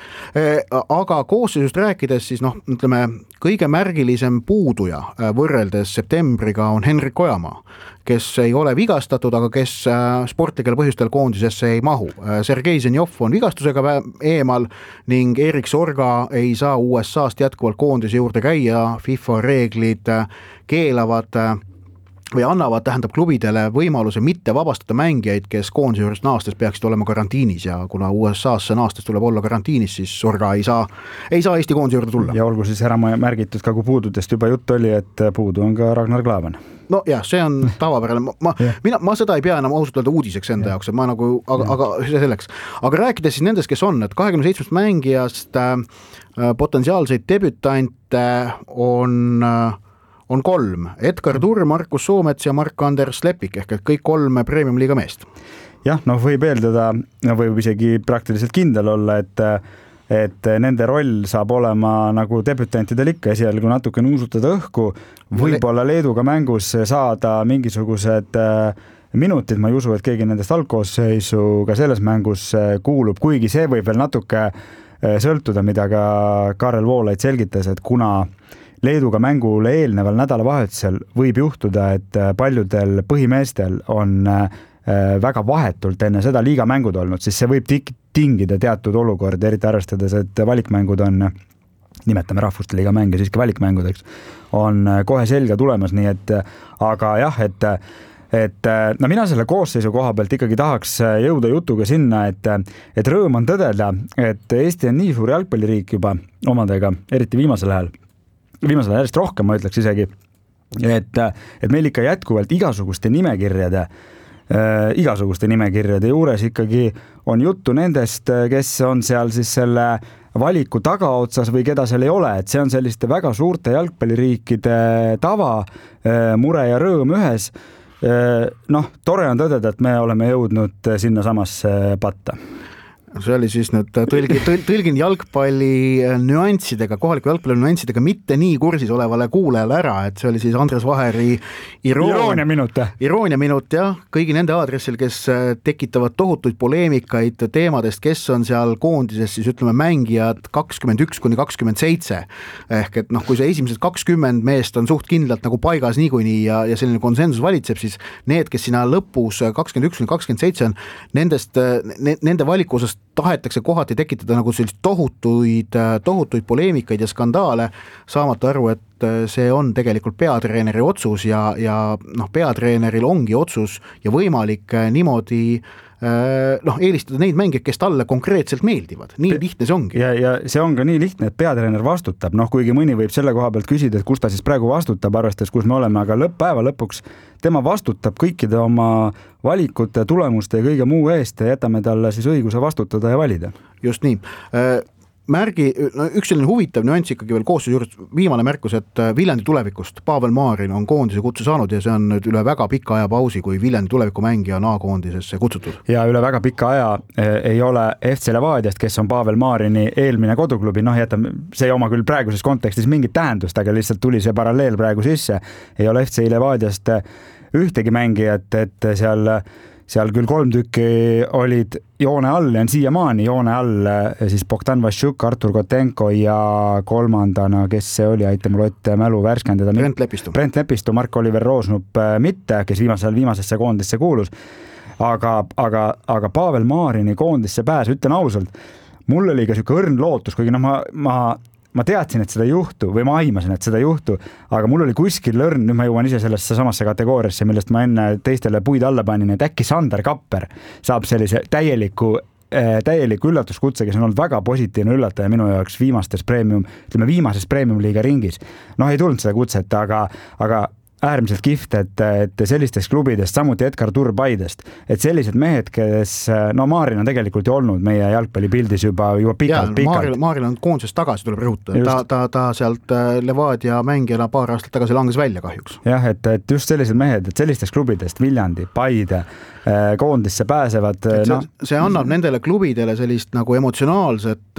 S2: Aga koosseisust rääkides, siis ütleme, kõige märgilisem puuduja võrreldes septembriga on Henrik Ojamaa, kes ei ole vigastatud, aga kes sportlikel põhjustel koondisesse ei mahu. Sergei Zenjov on vigastusega eemal ning Erik Sorga ei saa USA-st jätkuvalt koondise juurde käia, FIFA reeglid keelavad või annavad, klubidele võimaluse mitte vabastada mängijaid, kes koondise juurest naastes peaksid olema karantiinis ja kuna USA-sse naastes tuleb olla karantiinis, siis Sorga ei saa Eesti koondise juurde tulla.
S3: Ja olgu siis ära märgitud ka, kui puududest juba jutt oli, et puudu on ka Ragnar Klavan.
S2: No jah, see on tavapärane. Ma seda ei pea enam ausalt öelda uudiseks enda jaoks, et ma aga see selleks. Aga rääkides siis nendest, kes on, et 27 mängijast potentsiaalseid debütante on 3. Edgar Turr, Markus Soomets ja Mark-Anders Lepik ehk kõik 3 premium-liiga meest.
S3: Jah, võib eeldada, võib isegi praktiliselt kindel olla, et nende roll saab olema nagu debütantidel ikka esialgu natuke nuusutada õhku, võib-olla Leeduga mängus saada mingisugused minutid, ma ei usu, et keegi nendest algkoosseisu ka selles mängus kuulub, kuigi see võib veel natuke sõltuda, mida ka Karel Voolaid selgitas, et kuna Leeduga mängule eelneval nädalavahetusel võib juhtuda, et paljudel põhimeestel on väga vahetult enne seda liigamängud olnud, siis see võib tingida teatud olukordi, eriti arvestades, et valikmängud on, nimetame rahvuste liiga mänge siiski valikmängudeks, on kohe selga tulemas, nii et aga jah, et mina selle koosseisu koha pealt ikkagi tahaks jõuda jutuga sinna, et rõõm on tõdeda, et Eesti on nii suur jalgpalliriik juba omadega, eriti viimasel ajal järjest rohkem, ma ütleks isegi, et meil ikka jätkuvalt igasuguste nimekirjade juures ikkagi on juttu nendest, kes on seal siis selle valiku tagaotsas või keda seal ei ole, et see on selliste väga suurte jalgpalliriikide tava, mure ja rõõm ühes. Tore on tõdeda, et me oleme jõudnud sinna samasse patta.
S2: See oli siis nüüd tõlgin jalgpalli nüanssidega, kohaliku jalgpalli nüanssidega mitte nii kursis olevale kuulajale ära, et see oli siis Andres Vaheri iroonia minut jah, kõigi nende aadressil, kes tekitavad tohutuid poleemikaid teemadest, kes on seal koondises siis ütleme mängijad 21–27 ehk et noh, kui see esimesed 20 meest on suht kindlalt nagu paigas niikuinii ja selline konsensus valitseb, siis need, kes sinna lõpus 21–27 on, nende valiku osas tahetakse kohati tekitada nagu sellist tohutuid poleemikaid ja skandaale, saamata aru, et see on tegelikult peatreeneri otsus ja noh, peatreeneril ongi otsus ja võimalik niimoodi eelistada neid mängijaid, kes talle konkreetselt meeldivad. Nii lihtne see ongi.
S3: Ja see on ka nii lihtne, et peatreener vastutab. Kuigi mõni võib selle koha pealt küsida, et kus ta siis praegu vastutab, arvestades, kus me oleme, aga päeva lõpuks tema vastutab kõikide oma valikute, tulemuste ja kõige muu eest ja jätame talle siis õiguse vastutada ja valida.
S2: Just nii. Üks selline huvitav nüanss ikkagi veel koostöös juures, viimane märkus, et Viljandi tulevikust Pavel Maarin on koondise kutsu saanud ja see on nüüd üle väga pika aja pausi, kui Viljandi tulevikumängija on A-koondisesse kutsutud. Ja
S3: üle väga pika aja ei ole FC Levadiast, kes on Pavel Maarini eelmine koduklubi, see ei oma küll praeguses kontekstis mingit tähendust, aga lihtsalt tuli see paralleel praegu sisse, ei ole FC Levadiast ühtegi mängijat, et seal küll 3 tükki olid joone all ja on siiamaani joone all siis Bogdan Vašuk, Artur Kotenko ja kolmandana, kes see oli, aita mul Ott mälu värskendada. Brent Lepistu, Mark-Oliver Roosnup mitte, kes viimasesse koondisse kuulus. Aga Pavel Maarini koondisse pääs, ütlen ausalt, mul oli ka siuke õrn lootus, kuigi ma teadsin, et seda ei juhtu või ma aimasin, et seda ei juhtu, aga mul oli kuskil lõrn, nüüd ma jõuan ise sellesse samasse kategooriasse, millest ma enne teistele puid alla panin, et äkki Sander Kapper saab sellise täieliku üllatuskutse, kes on olnud väga positiivne üllataja minu jaoks viimases premium-liiga ringis. Ei tulnud seda kutset, aga äärmiselt kihvt, et sellistest klubidest, samuti Edgar Turbaidest, et sellised mehed, kes, Maarin on tegelikult ju olnud meie jalgpallipildis juba pikalt.
S2: Maarin on koondisest tagasi, tuleb rõhutada. Ta sealt Levadia mängijana paar aastat tagasi langes välja kahjuks.
S3: Jah, et just sellised mehed, et sellistest klubidest, Viljandi, Paide, koondisse pääsevad.
S2: See annab nendele klubidele sellist nagu emotsionaalset,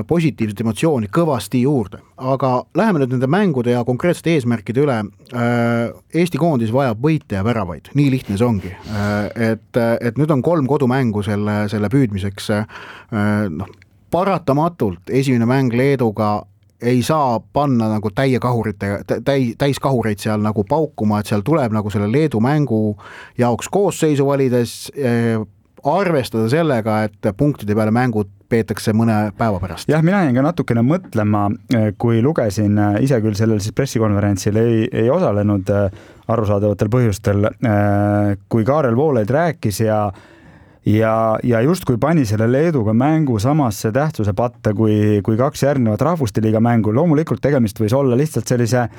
S2: positiivset emotsiooni kõvasti juurde. Aga läheme nüüd nende mängude ja konkreetsete eesmärkide üle. Eesti koondis vajab võite ja väravaid, nii lihtne see ongi, et nüüd on 3 kodumängu selle püüdmiseks, paratamatult esimene mäng Leeduga ei saa panna nagu täiskahureid seal nagu paukuma, et seal tuleb nagu selle Leedu mängu jaoks koosseisu valides arvestada sellega, et punktide peale mängud peetakse mõne päeva pärast.
S3: Jah, mina jäin ka natukene mõtlema, kui lugesin, ise küll sellel siis pressikonverentsil ei osalenud arusaadavatel põhjustel, kui Kaarel Voolaid rääkis ja just kui pani selle Leeduga mängu samasse tähtsuse patta kui 2 järgnevat rahvuste liiga mängu, loomulikult tegemist võis olla lihtsalt sellise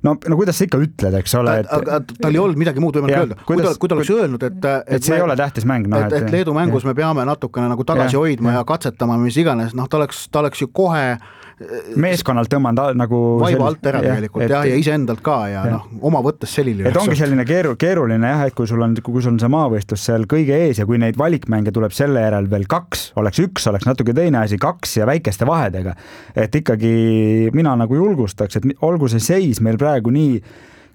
S3: kuidas sa ikka ütled, eks ole?
S2: Aga tal ei olnud midagi muud võimalik öelda. Kui ta oleks öelnud,
S3: et see ei ole tähtis mäng.
S2: Et Leedu mängus me peame natukene nagu tagasi hoidma ja katsetama, mis iganes, ta oleks ju kohe
S3: meeskonnalt tõmmanud nagu
S2: vaiba alt ära tegelikult ja iseendalt ka ja oma võttes selline.
S3: Et ongi selline keeruline jah, et kui sul on see maavõistlus seal kõige ees ja kui neid valikmänge tuleb selle järel veel 2, oleks natuke teine asi, 2 ja väikeste vahedega. Et ikkagi mina nagu julgustaks, et olgu see seis meil praegu nii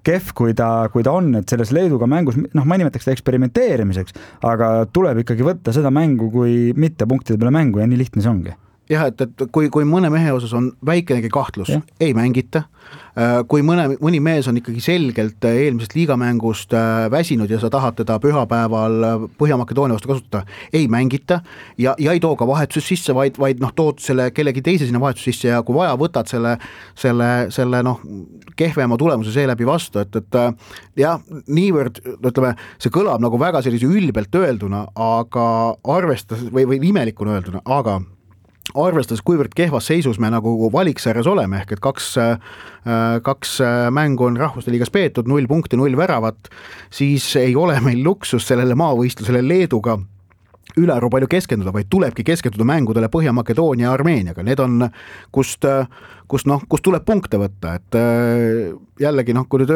S3: kehv, kui ta on, et selles Leeduga mängus, ma ei nimetaks seda eksperimenteerimiseks, aga tuleb ikkagi võtta seda mängu kui mitte punktide peale mängu ja nii lihtne see ongi.
S2: Jah, et kui mõne mehe osas on väikenegi kahtlus, ei mängita. Kui mõni mees on ikkagi selgelt eelmisest liigamängust väsinud ja sa tahad teda pühapäeval Põhja-Makedoonia vastu kasutada, ei mängita ja ei too ka vahetus sisse, vaid tood selle kellegi teise sinna vahetus sisse ja kui vaja, võtad selle kehvema tulemuse seeläbi vastu, et jah, niivõrd, ütleme, see kõlab nagu väga sellise ülbelt öelduna, aga arvestades või imelikuna öelduna, aga arvestades, kuivõrd kehvas seisus me nagu valiksarjas oleme, ehk et 2 mängu on rahvuste liigas peetud, 0 punkti, 0 väravat, siis ei ole meil luksus sellele maavõistlusele Leeduga ülearu palju keskenduda, vaid tulebki keskenduda mängudele Põhja-Makedoonia ja Armeeniaga. Need on, kust tuleb punkte võtta, et jällegi kui nüüd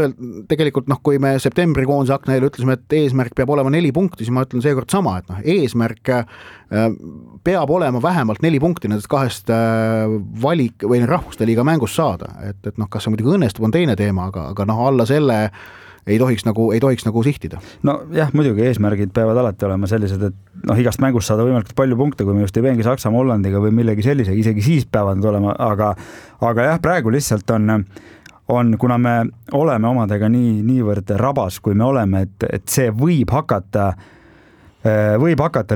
S2: tegelikult kui me septembrikoondise akna eel ütlesime, et eesmärk peab olema 4 punkti, siis ma ütlen seekord sama, et eesmärk peab olema vähemalt 4 punkti nendest 2 valik või rahvuste liiga mängust saada, et kas see muidugi õnnestub, on teine teema, aga alla selle ei tohiks nagu sihtida.
S3: No jah, muidugi eesmärgid peavad alati olema sellised, et igast mängust saada võimalikult palju punkte, kui me just ei mängi Saksamaa, Hollandiga või millegi sellisega, isegi siis peavad nad olema, aga jah, praegu lihtsalt on, kuna me oleme omadega niivõrd rabas, kui me oleme, et see võib hakata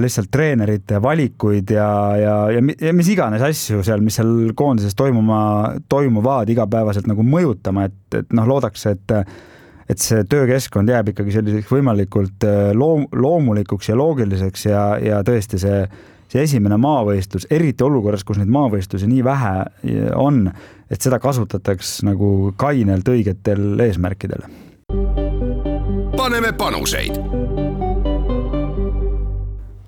S3: lihtsalt treenerite valikuid ja mis iganes asju seal, mis seal koondises toimuvad igapäevaselt nagu mõjutama, et loodaks, et see töökeskkond jääb ikkagi selliseks võimalikult loomulikuks ja loogiliseks ja tõesti see esimene maavõistlus, eriti olukorras, kus neid maavõistlusi nii vähe on, et seda kasutataks nagu kainelt õigetel eesmärkidel.
S1: Paneme panuseid.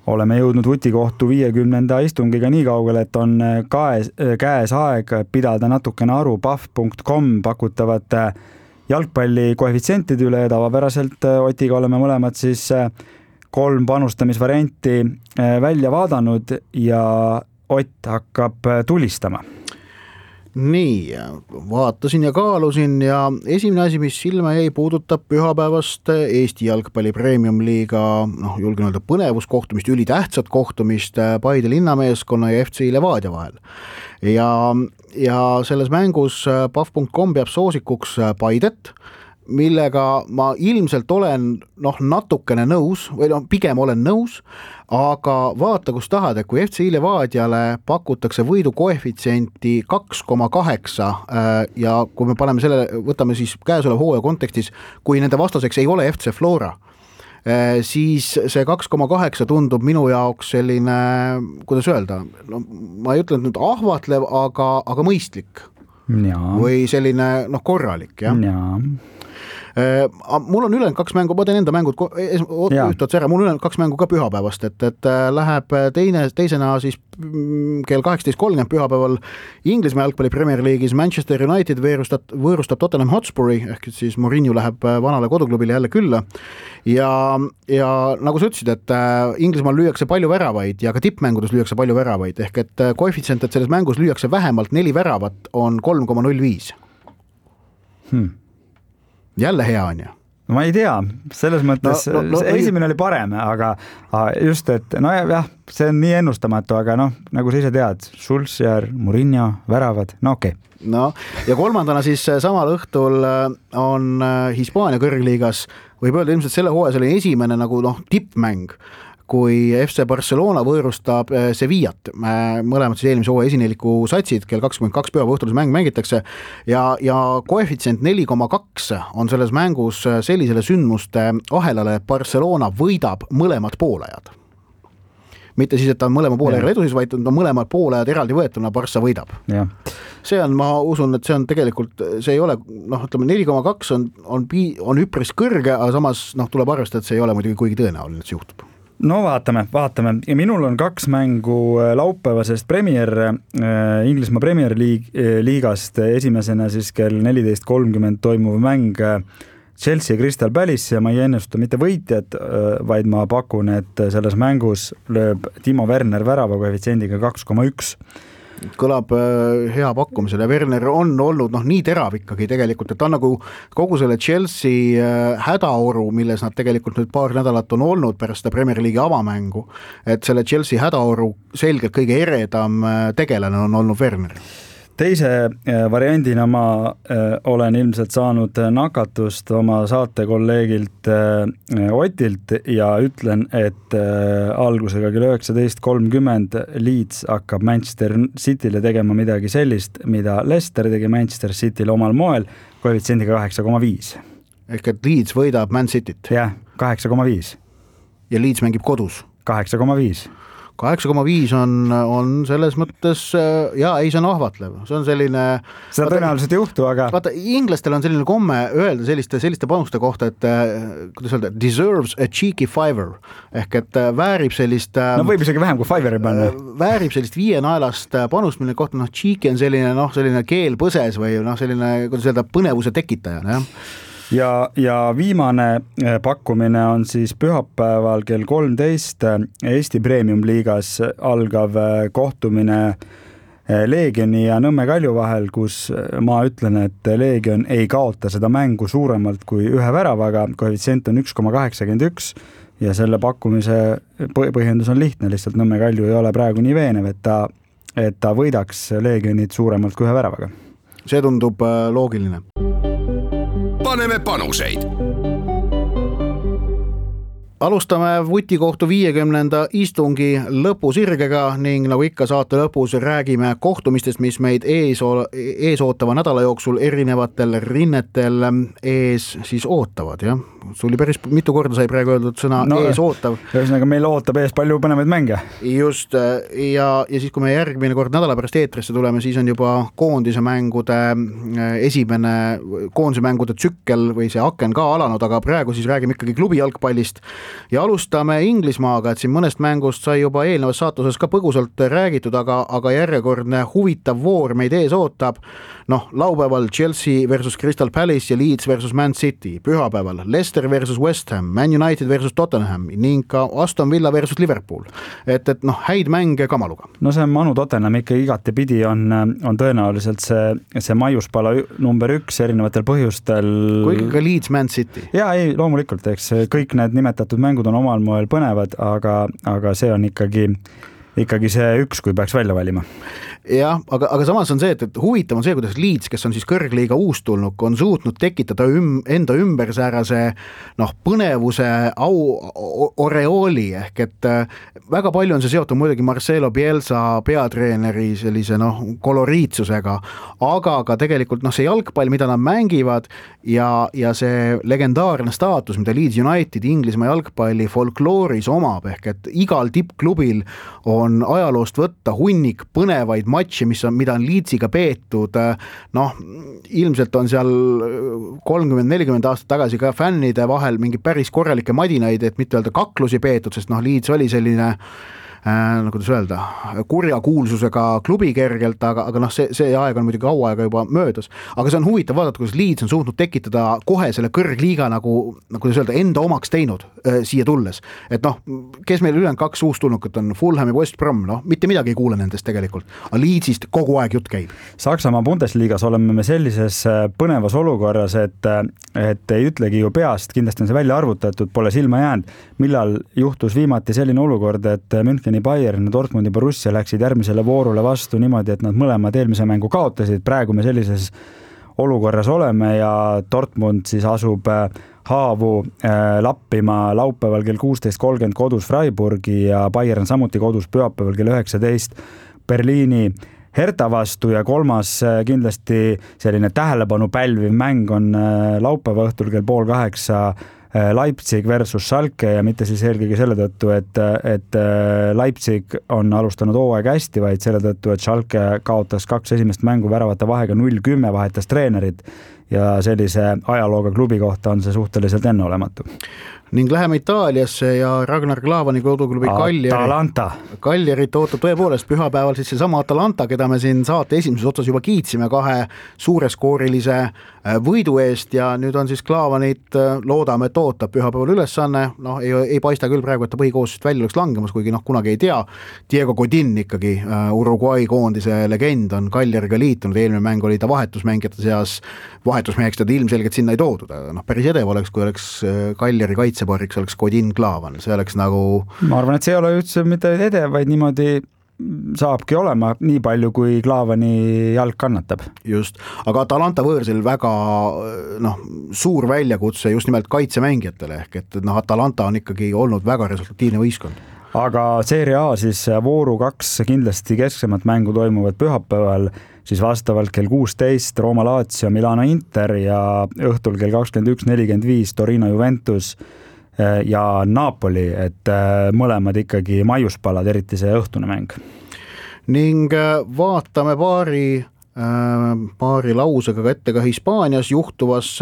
S3: Oleme jõudnud Vutikohtu 50. istungiga nii kaugele, et on käes aeg pidada natukene aru paf.com pakutavate jalgpalli koefitsientide üle ja tavapäraselt Otiga oleme mõlemad siis 3 panustamisvarianti välja vaadanud ja Ott hakkab tulistama.
S2: Nii, vaatasin ja kaalusin ja esimene asi, mis silma jäi, puudutab pühapäevast Eesti jalgpalli Premium-liiga, julgen öelda põnevuskohtumist, ülitähtsat kohtumist Paide linnameeskonna ja FC Levadia vahel. Ja selles mängus paf.com peab soosikuks Paidet, millega ma ilmselt olen natukene nõus või pigem olen nõus, aga vaata, kus tahad, et kui FC Levadiale pakutakse võidu koefitsienti 2,8 ja kui me võtame siis käesoleva hooaja kontekstis, kui nende vastaseks ei ole FC Flora, siis see 2,8 tundub minu jaoks selline, kuidas öelda, ma ei ütle nüüd ahvatlev, aga mõistlik.
S3: Ja.
S2: Või selline korralik, jah?
S3: Ja.
S2: Mul on ülejäänud 2 mängu, ma teen enda mängud ühtotsi ära, mul on ülejäänud 2 mängu ka pühapäevast, et läheb teisena siis kell 18.30 pühapäeval Inglismaa jalgpalli Premier League'is Manchester United võõrustab Tottenham Hotspuri, ehk siis Mourinho läheb vanale koduklubile jälle külla ja nagu sa ütlesid, et Inglismaal lüüakse palju väravaid ja ka tippmängudes lüüakse palju väravaid, ehk et koefitsient, et selles mängus lüüakse vähemalt 4 väravat, on 3,05. Jälle hea on ju?
S3: No ma ei tea, selles mõttes esimene oli parem, aga just, et jah, see on nii ennustamatu, aga nagu sa ise tead, Solskjaer, Mourinho, väravad, okei.
S2: Ja kolmandana siis samal õhtul on Hispaania kõrgliigas, võib öelda ilmselt selle hooaja oli esimene nagu tippmäng, kui FC Barcelona võõrustab Sevillat, mõlemad siis eelmise hooaja esineliku satsid, kell 22 päeva õhtulis mäng mängitakse ja koefitsient 4,2 on selles mängus sellisele sündmuste ahelale, et Barcelona võidab mõlemad poolajad. Mitte siis, et ta on mõlema poolajad edusis, vaid on mõlemad poolajad eraldi võetuna, Barca võidab.
S3: Ja.
S2: See on, ma usun, et see on tegelikult, see ei ole, ütleme 4,2 on üpris kõrge, aga samas tuleb arvestada, et see ei ole muidugi kuigi tõenäoline, et see juhtub.
S3: No vaatame. Ja minul on 2 mängu laupäevasest Inglismaa Premier Liigast esimesena siis kell 14.30 toimuv mäng Chelsea ja Crystal Palace ja ma ei ennusta mitte võitjad, vaid ma pakun, et selles mängus lööb Timo Werner värava koefitsiendiga 2,1.
S2: Kõlab hea pakkumisel ja Werner on olnud nii terav ikkagi tegelikult, et ta on nagu kogu selle Chelsea hädaoru, milles nad tegelikult nüüd paar nädalat on olnud pärast seda Premier League'i avamängu, et selle Chelsea hädaoru selgelt kõige eredam tegelane on olnud Werner.
S3: Teise variandina ma olen ilmselt saanud nakatust oma saatekolleegilt Otilt ja ütlen, et algusega kell 19.30 Leeds hakkab Manchester City'le tegema midagi sellist, mida Leicester tegi Manchester City'le omal moel, koefitsiendiga 8,5.
S2: Ehk et Leeds võidab Man City't?
S3: Jah, 8,5.
S2: Ja Leeds mängib kodus?
S3: 8,5.
S2: 8,5 on selles mõttes ja ei, see on ahvatlev, see on selline.
S3: Seda tõenäoliselt ei juhtu, aga.
S2: Vaata, inglastel on selline komme öelda selliste panuste kohta, et kuidas öelda, deserves a cheeky fiver ehk et väärib sellist.
S3: No võib isegi vähem kui fiveri panna.
S2: Väärib sellist 5 naelast panust, mille kohta cheeky on selline keel põses või selline, kuidas öelda, põnevuse tekitaja,
S3: Ja viimane pakkumine on siis pühapäeval kell 13 Eesti Premium-liigas algav kohtumine Leegioni ja Nõmme Kalju vahel, kus ma ütlen, et Leegion ei kaota seda mängu suuremalt kui 1 väravaga, koefitsient on 1,81 ja selle pakkumise põhjendus on lihtne, lihtsalt Nõmme Kalju ei ole praegu nii veenev, et ta võidaks Leegionit suuremalt kui 1 väravaga.
S2: See tundub loogiline.
S1: Paneme panuseid.
S2: Alustame Vutikohtu 50. istungi lõpusirgega ning nagu ikka saate lõpus räägime kohtumistest, mis meid ees ootava nädala jooksul erinevatel rinnetel ees siis ootavad, jah? Sul päris mitu korda sai praegu öeldud sõna ees ootav.
S3: Ühesõnaga meil ootab ees palju põnevaid mänge.
S2: Just, ja siis kui me järgmine kord nädala pärast eetrisse tuleme, siis on juba koondise mängude tsükkel või see aken ka alanud, aga praegu siis räägime ikkagi klubi jalgpallist. Ja alustame Inglismaaga, et siin mõnest mängust sai juba eelnevas saatuses ka põgusalt räägitud, aga järjekordne huvitav voor meid ees ootab. Laupäeval Chelsea versus Crystal Palace ja Leeds versus Man City, pühapäeval Leicester versus West Ham, Man United versus Tottenham ning ka Aston Villa versus Liverpool. Et häid mänge kamaluga.
S3: No see Manu Tottenham ikka igati pidi on tõenäoliselt see maiuspala number 1 erinevatel põhjustel.
S2: Kui ka Leeds Man City.
S3: Ja ei, loomulikult, eks kõik need nimetatud mängud on omal moel põnevad, aga see on ikkagi see 1, kui peaks välja valima.
S2: Jah, aga samas on see, et huvitav on see, kuidas Leeds, kes on siis kõrgliiga uustulnuk, on suutnud tekitada enda ümber säärase põnevuse oreooli ehk et väga palju on see seotud muidugi Marcelo Bielsa peatreeneri sellise koloriitsusega, aga ka tegelikult see jalgpall, mida nad mängivad ja see legendaarne staatus, mida Leeds United Inglismaa jalgpalli folklooris omab ehk et igal tippklubil on ajaloost võtta hunnik põnevaid matši, mida on Leedsiga peetud. Ilmselt on seal 30-40 aastat tagasi ka fännide vahel mingi päris korralikke madinaid, et mitte öelda kaklusi peetud, sest Leeds oli selline kuidas öelda, kurja kuulsusega klubi kergelt, aga see aeg on muidugi kaua aega juba möödas. Aga see on huvitav vaadata, kuidas Leeds on suutnud tekitada kohe selle kõrgliiga nagu öelda, enda omaks teinud siia tulles. Et kes meil ülejäänud 2 uustulnukut on, Fulham ja West Brom, mitte midagi ei kuule nendest tegelikult. Aga Leedsist kogu aeg jutt käib.
S3: Saksamaa Bundesliigas oleme me sellises põnevas olukorras, et ei ütlegi ju peast, kindlasti on see välja arvutatud, pole silma jäänud, millal juhtus viimati selline olukord, et Müncheni Bayern ja Dortmundi Borussia läksid järgmisele voorule vastu niimoodi, et nad mõlemad eelmise mängu kaotasid. Praegu me sellises olukorras oleme ja Dortmund siis asub haavu lappima laupäeval kell 16.30 kodus Freiburgi ja Bayern samuti kodus pühapäeval kell 19 Berliini Hertha vastu ja kolmas kindlasti selline tähelepanu pälviv mäng on laupäeva õhtul kell 7:30 Leipzig versus Schalke ja mitte siis eelkõige selle tõttu, et Leipzig on alustanud hooaega hästi, vaid selle tõttu, et Schalke kaotas 2 esimest mängu väravate vahega 0-10, vahetas treenerit ja sellise ajalooga klubi kohta on see suhteliselt enneolematu.
S2: Ning läheme Itaaliasse ja Ragnar Klavani koduklubi Kaljerit ootab tõepoolest pühapäeval siis seesama Atalanta, keda me siin saate esimeses otsas juba kiitsime 2 suureskoorilise võidu eest ja nüüd on siis Klavanit, loodame, et ootab pühapäeval ülesanne, ei paista küll praegu, et ta põhikoosust välja oleks langemas, kuigi kunagi ei tea. Diego Godin ikkagi, Uruguay koondise legend on Kaljeriga liitunud, eelmine mäng oli ta vahetusmängijate seas, vahetusmeheks teda ilmselgelt sinna ei toodud, päris edev oleks, kui oleks Kaljeri kaitsepariks oleks Godin Klavan, see oleks nagu. Ma
S3: arvan, et see ei ole üldse mitte edev, vaid niimoodi saabki olema nii palju, kui Klavani jalg kannatab.
S2: Just, aga Atalanta võõrsil väga suur väljakutse just nimelt kaitsemängijatele ehk et Atalanta on ikkagi olnud väga resultatiivne võistkond.
S3: Aga Serie A siis vooru 2 kindlasti kesksemat mängu toimuvad pühapäeval siis vastavalt kell 16 Roma Lazio, Milano Inter ja õhtul kell 21.45 Torino Juventus. ja Napoli, et mõlemad ikkagi maiuspalad, eriti see õhtune mäng.
S2: Ning vaatame paari lausega ka ette ka Hispaanias juhtuvas.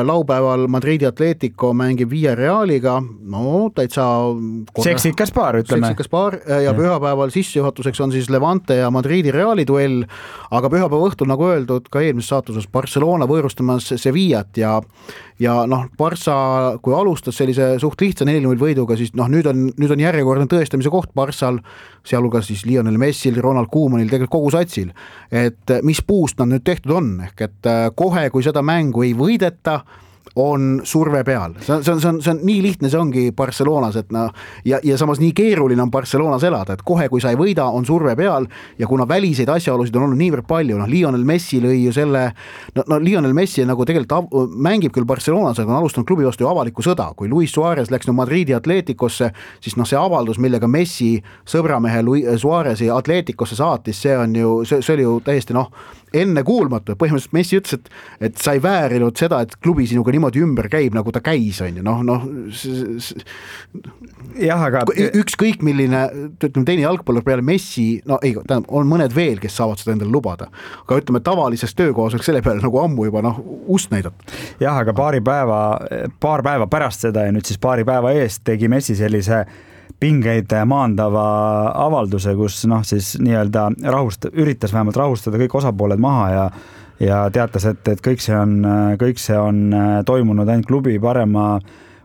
S2: Laupäeval Madridi Atletico mängib Villarrealiga, no täitsa
S3: seksikas paar, ütleme.
S2: Seksikas paar ja pühapäeval sissejuhatuseks on siis Levante ja Madridi Reali duell, aga pühapäeva õhtul, nagu öeldud, ka eelmises saatuses Barcelona võõrustamas Sevillat ja noh, Barça, kui alustas sellise suht lihtsa 4-0 võiduga, siis noh, nüüd on järjekordne tõestamise koht Barçal, sealhulgas siis Lionel Messil, Ronald Koemanil, tegelikult kogu satsil, et mis puust nad nüüd tehtud on, ehk et kohe, kui seda mängu ei võideta, on surve peal. See on nii lihtne, see ongi Barcelonas, et ja samas nii keeruline on Barcelonas elada, et kohe, kui sa ei võida, on surve peal ja kuna väliseid asjaolusid on olnud niivõrd palju, Lionel Messi lõi ju selle, Lionel Messi nagu tegelikult mängib küll Barcelonas, aga on alustanud klubi vastu ju avalikku sõda. Kui Luis Suarez läks Madridi Atleticosse, siis see avaldus, millega Messi sõbramehe Suarezi Atleticosse saatis, see oli ju täiesti enne kuulmatu. Põhimõtteliselt Messi ütles, et sa ei väärinud seda, et klubi sinuga niimoodi ümber käib, nagu ta käis, on ju.
S3: Jah, aga
S2: ükskõik milline, teine jalgpallur peale Messi, on mõned veel, kes saavad seda endale lubada. Aga ütleme, tavalises töökohas oleks selle peale nagu ammu juba ust näidata.
S3: Jah, aga paar päeva pärast seda ja nüüd siis paari päeva eest tegi Messi sellise pingeid maandava avalduse, kus siis nii-öelda üritas vähemalt rahustada kõik osapooled maha ja teatas, et kõik see on toimunud ainult klubi parema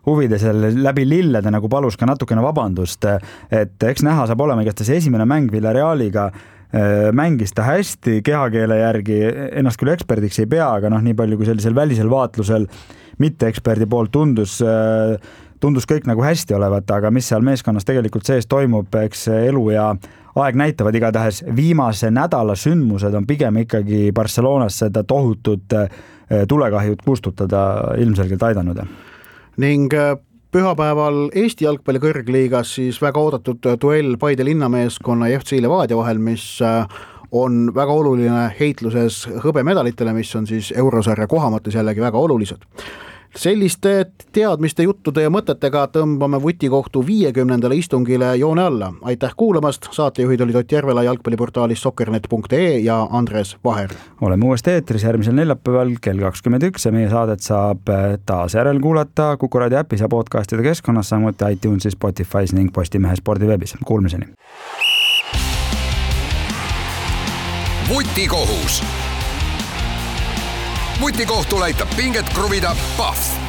S3: huvides läbi lillede, nagu palus ka natukene vabandust, et eks näha saab olema, kas ta see esimene mäng Villarrealiga mängis ta hästi kehakeele järgi, ennast küll eksperdiks ei pea, aga nii palju kui sellisel välisel vaatlusel mitte eksperdi poolt tundus kõik nagu hästi olevat, aga mis seal meeskonnas tegelikult sees toimub, eks elu ja aeg näitavad. Igatahes viimase nädala sündmused on pigem ikkagi Barcelonas seda tohutut tulekahjut kustutada ilmselgelt aidanud.
S2: Ning pühapäeval Eesti jalgpalli kõrgliigas siis väga oodatud duell Paide linnameeskonna ja FC Levadia vahel, mis on väga oluline heitluses hõbemedalitele, mis on siis eurosarja kohamõttes jällegi väga olulised. Selliste teadmiste, juttude ja mõtetega tõmbame Vutikohtu 50. istungile joone alla. Aitäh kuulamast, saatejuhid olid Ott Järvela jalgpalliportaalis soccernet.ee ja Andres Vaher.
S3: Oleme uuesti eetris järgmisel neljapäeval kell 21 ja meie saadet saab taas järel kuulata Kuku Raadio äpis ja podcastide keskkonnas, samuti iTunesis, Spotify's ning Postimehe spordiveebis. Kuulmiseni!
S1: Vutikohus. Vutikohtul aitab pinget kruvida Pahv.